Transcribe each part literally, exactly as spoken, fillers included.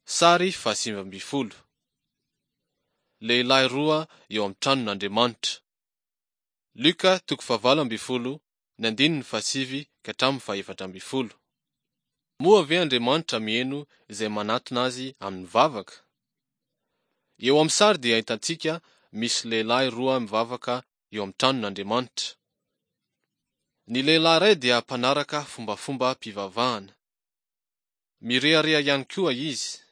Sary fahasivy ambin'ny folo. Lehilahy roa eo amin'ny tranon'Andriamanitra. Lioka toko fahavalo ambin'ny folo, ny andininy fahasivy ka hatramin'ny fahefatra ambin'ny folo. Moa ve Andriamanitra miheno izay manatona azy amin'ny vavaka? Eo amin'ny sary dia hitantsika misy lehilahy roa mivavaka eo amin'ny tranon'Andriamanitra. Ny lehilahy iray dia mpanaraka fombafombam-pivavahana. Mirehareha ihany koa izy.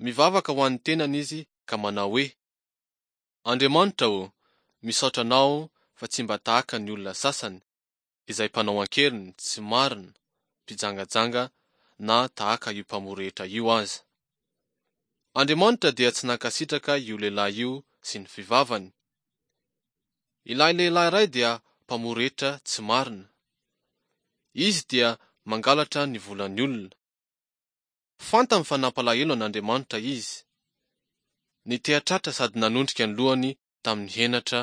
Mivavaka ho an'ny tenany izy ka manao hoe: Andriamanitra ô, misaotra Anao fa tsy mba tahaka ny olona sasany, izay mpanao an-keriny, tsy marina, mpijangajanga, na tahaka io mpamory hetra io aza. Andriamanitra dia tsy nankasitraka io lehilahy io sy ny fivavany. Ilay lehilahy iray dia mpamory hetra tsy marina. Izy dia mangalatra ny volan'ny olona. Fantany fa nampalahelo an'Andriamanitra izy. Niteha-tratra sady nanondrika ny lohany tamin'ny henatra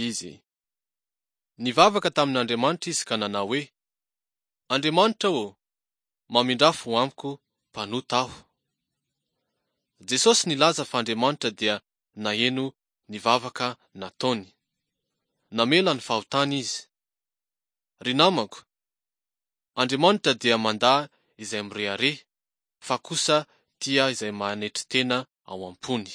izy. Nivavaka tamin'Andriamanitra izy ka nanao hoe: Andriamanitra ô, mamindrà fo amiko, mpanota aho. Jesosy nilaza fa Andriamanitra dia naheno ny vavaka nataony. Namela ny fahotany izy. Ry namako, Andriamanitra dia mandà izay mirehareha, fa kosa tia izay manetry tena ao am-pony.